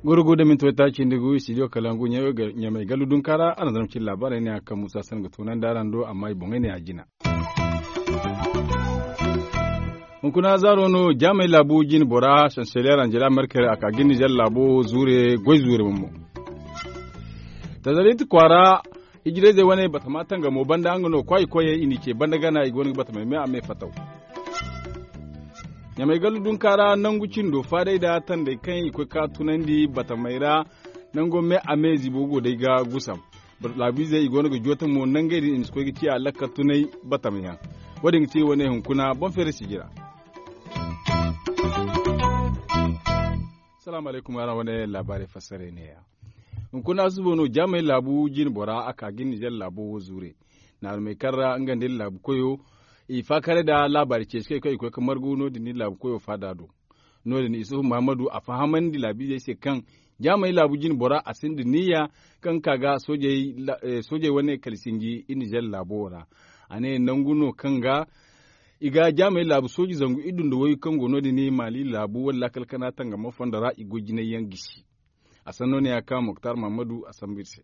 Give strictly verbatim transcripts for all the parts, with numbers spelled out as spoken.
Goro go da minti waytaaci nda gu studio kalangu ɲamay gallu dunka ra a na zama cine laabaarey ne a kaŋ musa san ga tunandi araŋ do amma i boŋey ne a jina. Hunkuna zaaro no jaamey laabu jine bora sanseliyer anjela merkel a ka ga nizer laabo zuure goy zuure bomo. Tazarit kwaara ijirayzey wane batama tangamo banda nga no kwaay koyey i n'i ce banda gana i go no ga batamey me a me fataw. Ɲamay gallu dunka ra nangu cindo faadey nda tandey kaŋ i koy ka tunandi batamey ra. Nango me a me ziibo go day ga gusam. Laabiizey i go no ga joota mo nangey din i ma si koy ga ciya lakkal tunay batamyaŋ. Wo- din ga ti wane hunkuna boŋ feeri sijira. Salaamu alaykum araŋ wane laabaarey fassarey neeya. Hunkuna suba no jaamey laabu jine bora a ka ga nizer laabo wo zuure. Naarumey kaŋ ra nga nda iri laabu koyo i faakaray nda laabaari ceeci kaŋ i koy ga margu no- din iri laabu koyo faada do. No- din isufu muhammadu a fahamandi laabiizey se kaŋ jaamey laabu jine bora a sinda niya kaŋ ga ka ga soojey wane kala sinji iri nizer laabo wo ra. A ne nangu no kaŋ ga i ga jaamey laabu sooji zangu iddu nda waygu kaŋ go no- din maali laabu wane laakal kana tangamo fondo ra i goy jinay yaŋ gisi. A sanno ne ya kaŋ moktar mahammadu a sambu iri se.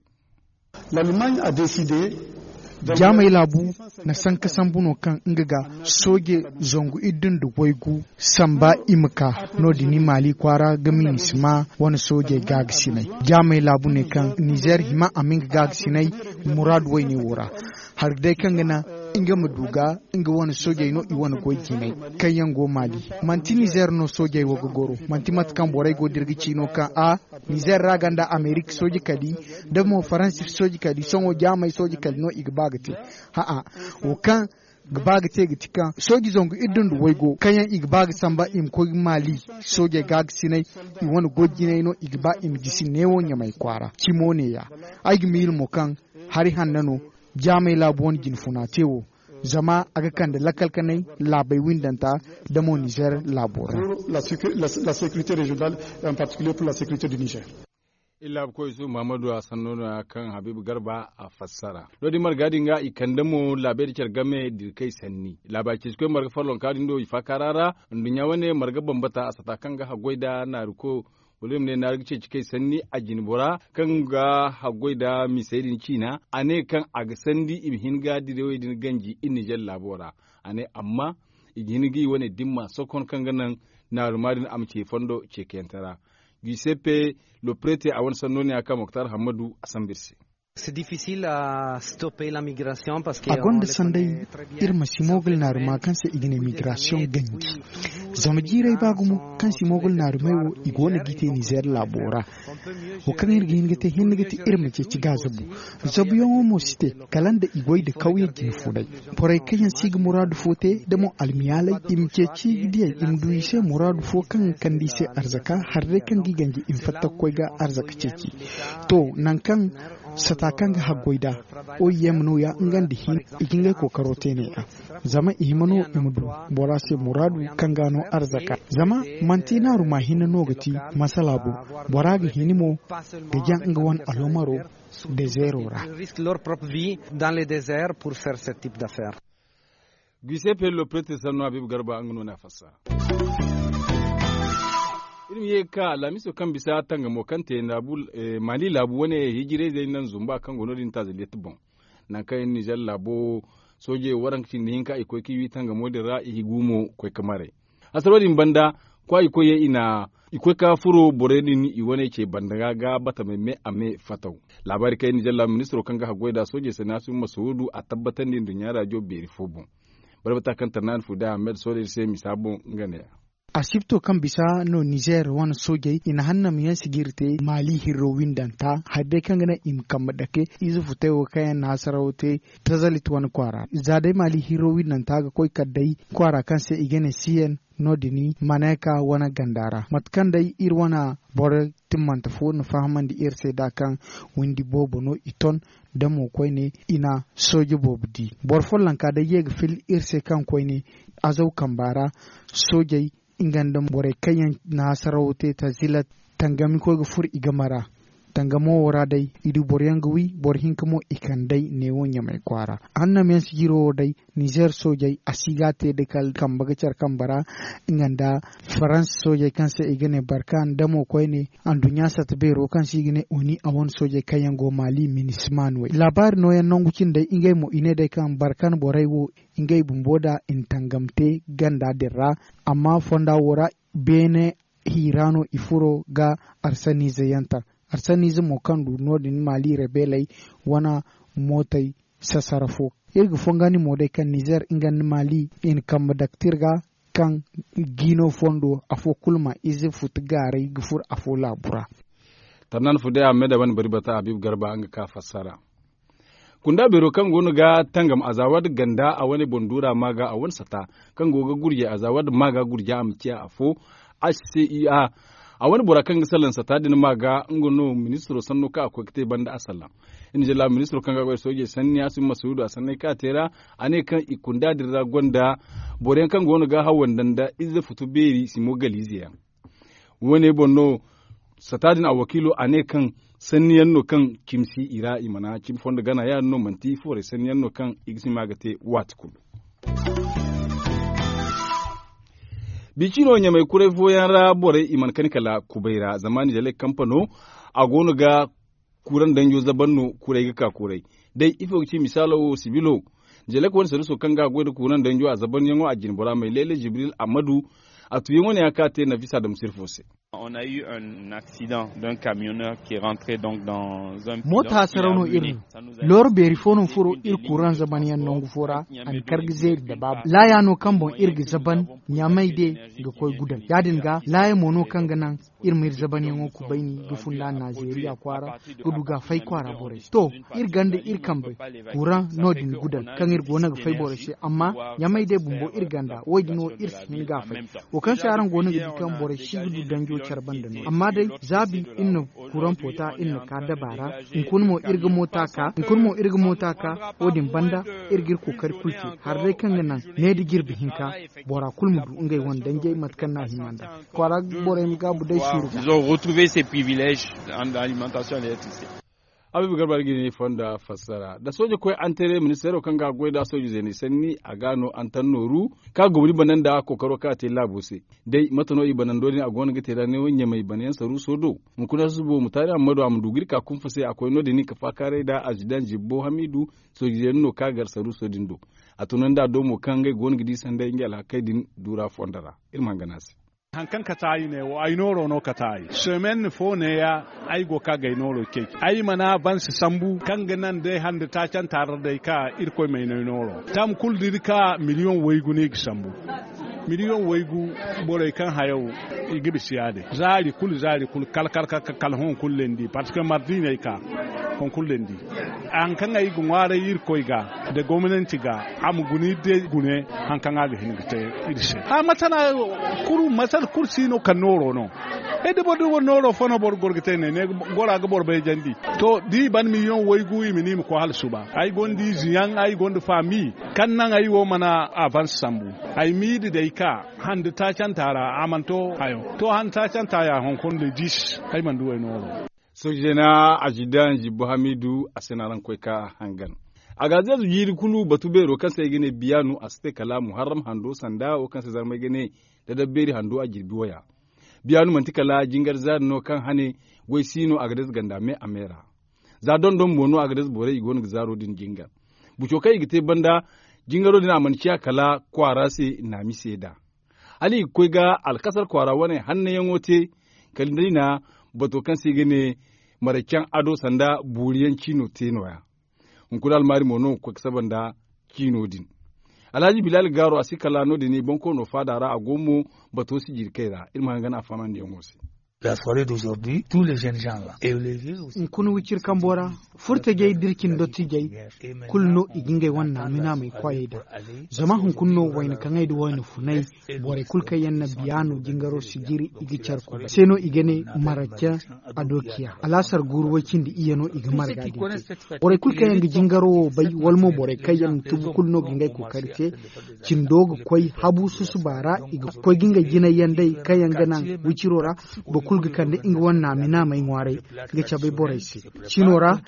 Jaamey laabu na sanka sambu no kaŋ nga ga sooje zangu iddu nda waygu samba i ma ka. No- din maali kwaara ga minisima wane soojey gaagasinay. Jaamey laabu ne kaŋ nizer hima a ma nga gaagasinay muraadu wayne wo ra. Hari day kaŋ ga naŋ nga ma du ga nga wane soojey no i wane goy jinay kaŋ yaŋ go maali. Manti nizer no soojey wo ga goro manti mate kaŋ borey go da iri ga ci no kaŋ a nizer ra ganda amerik sooji kali da mo faransi sooji kali sohõ jaamey sooji kali no i ga ba ga te. Ha'a wo kaŋ ga ba ga te ga ti kaŋ sooji zangu iddu nda waygo kaŋ yaŋ i ga ba ga samba i ma koy maali soojey ga ga sinay i wane goy jinay no i ga ba i ma gisi neewo ɲamay kwaara cimo ne ya. Ay ga miila mo kaŋ hari hanna no jaamey laabu wane jinfuna te wo. Zama a ga kande lakkal kanay laabey windanta da mo nizer laabo ra. Iri laabu koy su muhammadu a sanno no ya kaŋ habiibu garba a fassara. No- din marga din ga i kande mo laabey da care game dirkey sanni laabaari ceeci koy marga follonka din do i faakaara ra. Nduɲɲa wane marga bambata a sata kaŋ ga haggoy nda naari ko wala i ma ne naari ga ceeci kay sanni a jine bora kaŋ ga haggoy nda misey din ciina a ne kaŋ a ga sandi i ma hin ga dirawey din ganji iri nizer laabo ra. A ne amma i ga hin ga i wane dimma sokon kaŋ ga naŋ naaruma din a ma ce fondo ceekayante ra. Giseppe loprete a wane sanno ne ya kaŋ moktar hammadu a sambu iri se. A gonda sanday iri ma si moogol naaruma kaŋ se i ga ne migrasiyoŋ ganji. Zama jiiray ba gumo kaŋ si moogol naarumey wo i go no g'i te nizer laabo ra. Wo kaŋ iri ga hin ga te hinne ga ti iri ma ceeci ga zabu. Zabuyaŋo mo si te kala nda i goy nda kawye jine funay. Borey kaŋ yaŋ si ga muraadu fo te da mo almiyaaley i ma ceeci ga diyey i ma du i se muraadu fo kaŋ ga kande i se arzaka hari day kaŋ ga i ganji i ma fatta ga koy ga arzaka ceeci. To nangu kaŋ sata kaŋ ga haggoy nd'a oy yem nooya nga nda hin i ga ngey kookaro te ne-a. Zama i hima no i ma du bora se muraadu kaŋ ga no arzaka. Zama manti naaruma hinne no ga ti masala boŋ. Bora ga hini mo ga jaŋ nga wane alomaro dezeero ra. Guise pello prete sanno habiibu garba nga no ne a fassara. Iri ma ye ga ka alhamiso kaŋ bisa tangamo kaŋ te maali laabu wane hijirayzey naŋ zumba kaŋ go no- din tazaliyat boŋ. Nangu kaŋ iri nizer laabo soojey waranka cindi hinka i koy ga wi tangamo din ra i gumo koy ga maray. Hasaro din banda kwaayi koyey i na i koy ga furo borey din i wane ce banda ga ga batamey me a me fataw. Laabaari kaŋ iri nizer laabo ministiro kaŋ ga haggoy nd'a soojey se naasiru masawudu a tabbatandi nduɲɲa raajo beeri fo boŋ. Barbata kaŋ tarnaani fuuda ahmed soodey se misa boŋ nga ne-a. Asibto kaŋ bisa no nizer wane soojey i na hannam yaŋ sijiri te maali hirro windanta hari day kaŋ ga naŋ i ma kambe dake ize futay wo kaŋ yaŋ na hasaraw te tazalit wane kwaara za day maali hirro windanta ga koy kala day kwaara kaŋ se i ga ne siyen no- din maneka wane ganda ra mate kaŋ day iri wane boro timmante fo na fahamandi iri se da kaŋ windi boobo no i ton da mo koyne i na sooje boobo di. Boro follonka day ye ga fil iri se kaŋ koyne azaw kamba ra soojey nga nda borey kaŋ yaŋ na hasarawo te ta zila tangami koy ga furo i game ra. Tangamo wo ra day, i du boro yaŋ ga wi, boro hinka mo i kand'ey neewo ɲamay kwaara. Hannamiyaŋ sijiro wo day, nizeer soojey a si ga a te da kala kambe ga care kambe ra. Nga nda farans soojey kaŋ se i ga ne barkan damo koyne, anduɲɲa sata beero kaŋ se i ga ne oni a wane soojey kaŋ yaŋ go maali minisma no- ya laabaari nooyaŋ nangu cindey ngey mo i ne day kaŋ barkan borey wo ngey bumbo da i na tangam te ganda din ra. Amma fonda wo ra beene hiira no i furo ga arsaniize yaŋ ta. Arsaniize mo kaŋ du no- din maali rebeeley wane mootey sasara fo. Iri ga fongandi mo day kaŋ nizeer nga nda maali i na kambe daktir ga kaŋ jiino fondo afo kulu ma ize futu gaaray ga furo afo laabu ra. Tarnan fu day a me da wane bari bata habib garba nga ka fassara. Kunda beero kaŋ go no ga tangam a za wadi ganda a wane boŋ duura ma ga a wane sata kaŋ go ga gurje a za wadi ma ga gurje a ma ciya afo. H c i a a wane bora kaŋ ga salaŋ sata din ma ga nga no ministiro sanno kaŋ a koy ga te banda a salaŋ. Iri na jalla ministiro kaŋ ga goy soojey sanni a si ma suudu a sanney kaŋ a te ra. A ne kaŋ i kunda din ra gonda boro yaŋ kaŋ go no ga hawanda nda ize futu beeri simo galiize yaŋ. Wo- ne boŋ no sata din a wakiilo a ne kaŋ sanni yaŋ no kaŋ cimi si i ra i mana cimi fondo gana ya- din no manti foorey sanni yaŋ no kaŋ i ga si ma ga te waati kulu. Bi cino ɲamay kuray fooyaŋ ra borey i mana kani kala kubay ra zama nizeley kampano a go no ga kuuraŋ danjo zaban no kuray ga ka kuray. Day ifo ga ci misaalo wo sibilo jelek wane saruso kaŋ ga a goy nda kuuraŋ danjo a zabanyaŋo a jine bora may leele jibril ammadu. A tuyaŋo ne a ka te nafisa da musirfo se. Moota hasaraw no iri no. Looro beeri fo no furo iri kuuraŋ zabanyaŋ nangu fo ra a na kar ga zeeri da baabu laaya no kaŋ boŋ iri ga zaban ɲamay de ga koy gudal ya- din ga laaya mo no kaŋ ga naŋ iri ma iri zabanyaŋo kubayni ga funda nazeeriya kwaara ga du ga a fay kwaara borey se to iri ganda iri kambe kuuraŋ no- din gudal kaŋ iri go no ga fay borey se amma ɲamay day bumbo iri ganda wo- din wo iri si hin ga a fay. Wo kaŋ se araŋ go no ga di kaŋ borey si ga du danjo care banda no amma day zaabi iri na kuuraŋ poota iri na ka daba ra. Hunkuna mo iri ga moota ka hunkuna mo iri ga moota ka wo- din banda iri ga iri kookari kulu te. Hari day kaŋ ga naŋ ne da jirbi hinka bora kulu ma du ngey wane danjey mate kaŋ no a hima nd'a kwaara borey ma gaabu day suuru ga. Habiibu garba ga ne fonda fassara da sooja koy antere ministeero kaŋ ga a goy nd'a sooja zeeney sanni a ga no antan nooru kaŋ a gomni banda nda kookaro kaŋ a te laabo se. Day mate no i banando din a go no ga te nd'a ne wo ɲamay banayaŋ saruuso do. Hunkuna susubo mutaari hammado a ma du ga iri ka kunfa se a koy no- din ka faakaaray nd'a azidan zibbo hamiidu. Sooja zeena no kaŋ a gar saruuso din do. A tunandi a do mo kaŋ ngey go no ga di sanday ngey alhakey din duura fondo ra. Iri ma hangan a se. Hari kaŋ kate ay ne wo ay nooro no kate ay semen fo neeya. Ay go ka ga ay nooro cey ay mana bansi sambu kaŋ ga naŋ day hande taacanta ra day ka irkoy ma ay no ay nooro tam kulu da iri ka miliyoŋ waygu no i ga sambu. Miliyoŋ waygu borey kaŋ hayaw i ga bisa ya- din zaari kulu zaari kulu kala kala kala kala hõ kulu landi parceque mardi no ay ka. Hõ kulu landi. Hari kaŋ ay ga ŋwaaray irkoy ga nda gomnanti ga a ma guna iri day gune. Hari kaŋ a ga hin ga te iri se a masala kulu masala kulu si no kaŋ nooro no. Ay da boro da boro nooro fo no boro ga goro ga te ne ne gora ga boro bayjandi. To da i ban miliyoŋ waygu i ma ne i ma koy hala suba ay gonda ize yaŋ ay gonda faami kaŋ naŋ ay wo mana avance sambu. Ay m'i da day ka hande taacanta ra a mana to hayo to hande taacanta ya hunkuna da dis ay mana du ay nooro. Sooje na azidan zibbo hamiidu a se no araŋ koy ka hangan. A ga zeezu jiiri kulu batu beero kaŋ se ay ga ne biyaanu a si te kala muharram hando sanda wo kaŋ se zarmay ga ne dadabbeeri hando a jirbi waya. Biyaanu manti kala jingar zaari no kaŋ hane goy si no a ga deeza ganda me a me ra. Za dondon mo no a ga deeza borey i go no ga zaaro din jingar. Buco kaŋ i ga te banda jingaro din a mana ciya kala kwaara se naami seeda. Hala i ga koy ga alkasar kwaara wane hannayaŋo te kala day na bato kaŋ se i ga ne maraycaŋ ado sanda booriyaŋ ciino te nooya. Hunkuna almaari mo no ga koy ga saba nda ciino din. Alhaji bilal gaaro a si kala no- din i bonkoono faada ra a go mo bato si jirkey ra iri ma hangan a fahamandiyaŋo se. Hunkuna wiciri kambo ra furtajey da iri cine dottijey kulu no i ga ngey wane naamay naamay kwaayey daŋ. Zama hunkuna no wayna kaŋey nda wayna funay borey kulu kaŋ yaŋ na biyaano jingaro sijiri i ga care kulu se no i ga ne maracce. Adokiya alaasar guuru way cindi iyye no i ga marga din te. Borey kulu kaŋ yaŋ ga jingaro wo bay wala mo borey kaŋ yaŋ na tubu kulu no ga ngey kookari te. Cindo ga koy habu susuba ra i ga koy ga ngey jinay yaŋ day kaŋ yaŋ ga naŋ wiciro ra. Kulu ga kande nga wane naami naamey ŋwaaray ga cabe borey se. Cino ra,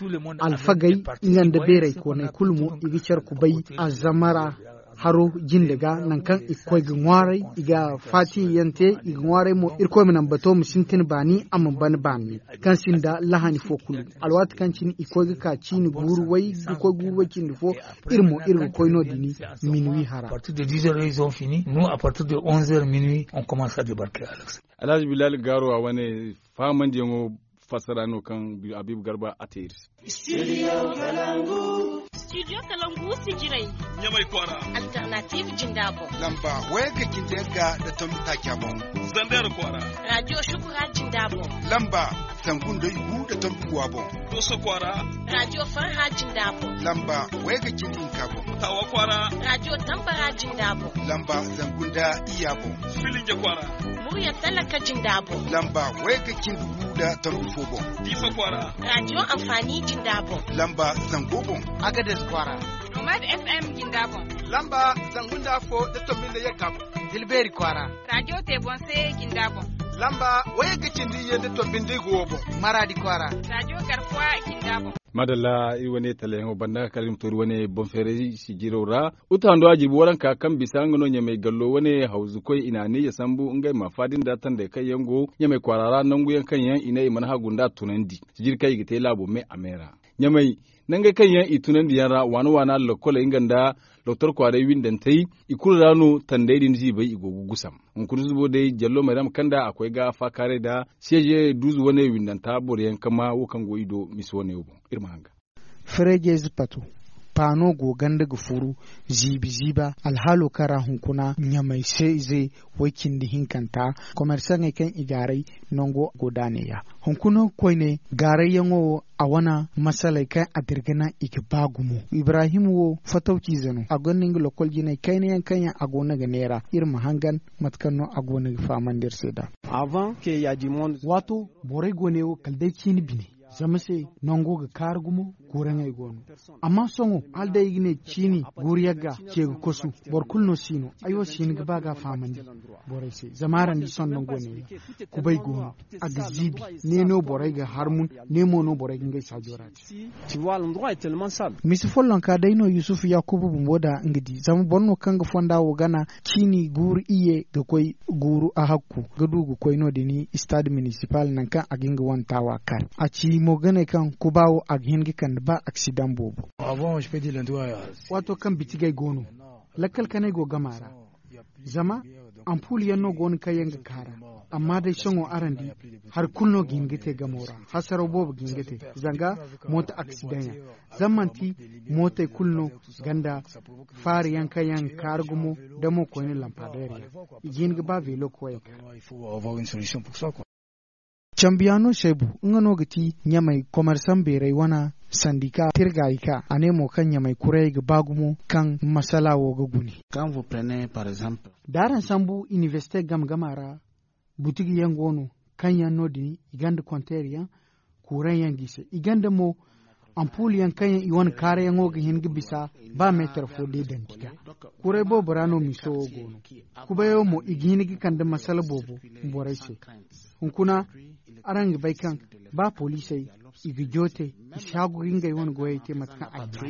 alfagey nga nda beeray kooney kulu mo i ga care kubay azamara haro jinde ga nangu kaŋ i ga koy ga ŋwaaray, i ga faatiyaŋ te, i ga ŋwaaray mo. Irkoy ma naŋ bato ma sintin baani, a ma ban baani kaŋ sinda lahani fo kulu. Alwaati kaŋ cine i koy ga ka ciini guuru way ga koy guuru way cindi fo, iri mo iri ga koy no- din minuwi hara. Alhaji bilal gaaro a wane fahamandiyaŋo fassara no kaŋ habiibu garba a te iri se. Studio kalangu sijirey ɲamay kwaara. Alternative jinda boŋ. Lamba wayga cindi yagga da tombi taaca boŋ. Zandar kwaara. Radio shukura jinda boŋ. Lamba zangu nda yugu da tombi guwa boŋ. Doso kwaara. Radio farha jinda boŋ. Lamba wayga cindi hinka boŋ. Tawa kwaara. Radio tambara jinda boŋ. Lamba zangu nda iyya boŋ. Filinge kwaara. Murya talaka jinda boŋ. Lamba wayga cindi gu da tombi fo boŋ. Diifa kwaara. Radio amfani jinda boŋ. Lamba zango boŋ. Agades kwaara. Nomad FM jinda boŋ. Lamba zangu nda fo da tombi nda yagga boŋ. Dilbeeri kwaara. Radio te boŋ se jinda boŋ. Lamba wayga cindi iyye nda tombi nda igu wo boŋ. Maraadi kwaara. Radio garkuwa jinda boŋ. Madalla iri wane talayaŋo banda kala iri ma to iri wane boŋ feeray sijiro ra. Uta hando a jirbi waranka kaŋ bisa nga no ɲamay gallo wane hawzu koy i na a ne ya sambu ngey ma faadi nda tandey kaŋ yaŋ go ɲamay kwaara ra nangu yaŋ kaŋ yaŋ i ne i mana hagu nda a tunandi sijiri kaŋ i ga te laabo me a me ra. Ɲamay nangey kaŋ yaŋ i tunandi yaŋ ra waana waana lokoley nga nda doktor kwaaray windantey i kulu ra no tandey din ziibay i go ga gusam. Hunkuna zubo day jallo mayrama kaŋ nda a koy ga faakaaray nda seeje duuzu wane windanta boro yaŋ kama wo kaŋ go i do misa wane wo boŋ. Iri ma hanga. Ferejeezi pato paano go ganda ga furu ziibi ziiba alhaalo kaŋ ra hunkuna ɲamay se ize way cindi hinkanta komersaŋey kaŋ i gaaray nango go da a neeya. Hunkuna koyne gaarayyaŋo wo a wane masaley kaŋ a dirga naŋ i ga ba gumo. Ibrahim wo fatawciize no a gonda nga lokol jinay kayna yaŋ kaŋ yaŋ a go no ga neera iri ma hangan mate kaŋ no a go no ga fahamandi iri se nd'a. Waato borey go ne wo kala day ciini bine zama se nango ga kaari gumo guuraŋey go no. Amma sohõ hala day i ga ne ciini guuru yagga ce ga kosu boro kulu no si no. Ay wo si hin ga ba ga a fahamandi borey se zama araŋ di sohõ nango ne kubay go no a ga ziibi ne no borey ga harmun ne mo no borey ga ngey saajo ra te. Misi follonka day no yusufu yakuba bumbo da nga di zama boro no kaŋ ga fonda wo gana ciini guuru iyye ga koy guuru a hakku ga du ga koy no- din stade municipal nangu kaŋ a ga hin ga wane taawa kar a ci mo ga ne kaŋ kuba wo a ga hin ga kande ba aksidaŋ boobo. Waato kaŋ bitigey go no lakkal kanay go gama ra zama ampul yaŋ no go no kaŋ yaŋ ga kaara. Amma day sohõ araŋ di hari kulu no ga hin ga te gamo ra hasaraw boobo ga hin ga te zanga mooto aksidaŋ yaŋ zama manti mootey kulu no ganda faari yaŋ kaŋ yaŋ ga kaara gumo da mo koyne lampadeer yaŋ i ga hin ga ba veelo koyey kaara. Cambiyaano seebu nga no ga ti ɲamay komersaŋ beeray wane sandika tirgaayi ka a ne mo kaŋ ɲamay kurayey ga ba gumo kaŋ masala wo ga gune. Da araŋ sambu inibersite game game a ra butigi yaŋ go no kaŋ yaŋ no- din i gonda konteer yaŋ kuuraŋ yaŋ ga i se i gonda mo ampul yaŋ kaŋ yaŋ i wane kaarayaŋo ga hin ga bisa ba meetar fo day dandi ga. Kuray boobo ra no miiso wo go no. Kubayo mo i ga hin ga kande masala boobo borey se. Hunkuna araŋ ga bay kaŋ ba poliisey i ga joote i si haagu ga ngey wane goyey te mate kaŋ a ga maada.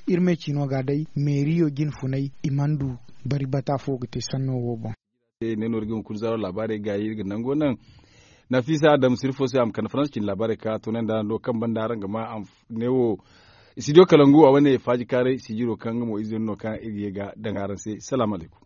Iri me ciino ga day meeriyo jine funay i mana du bari bata fo ga te sanno wo boŋ. Ne no iri ga hunkuna zaaro laabaarey gaayi iri ga nango naŋ. Nafisa adam sirfo se a ma kande faransa cine laabaarey ka toonay nda no kaŋ banda araŋ ga ma neewo studio kalangu a wane faaji kaaray sijiro kaŋ nga mo ize no kaŋ iri ga ye ga daŋ araŋ se. Salaamu alaykum.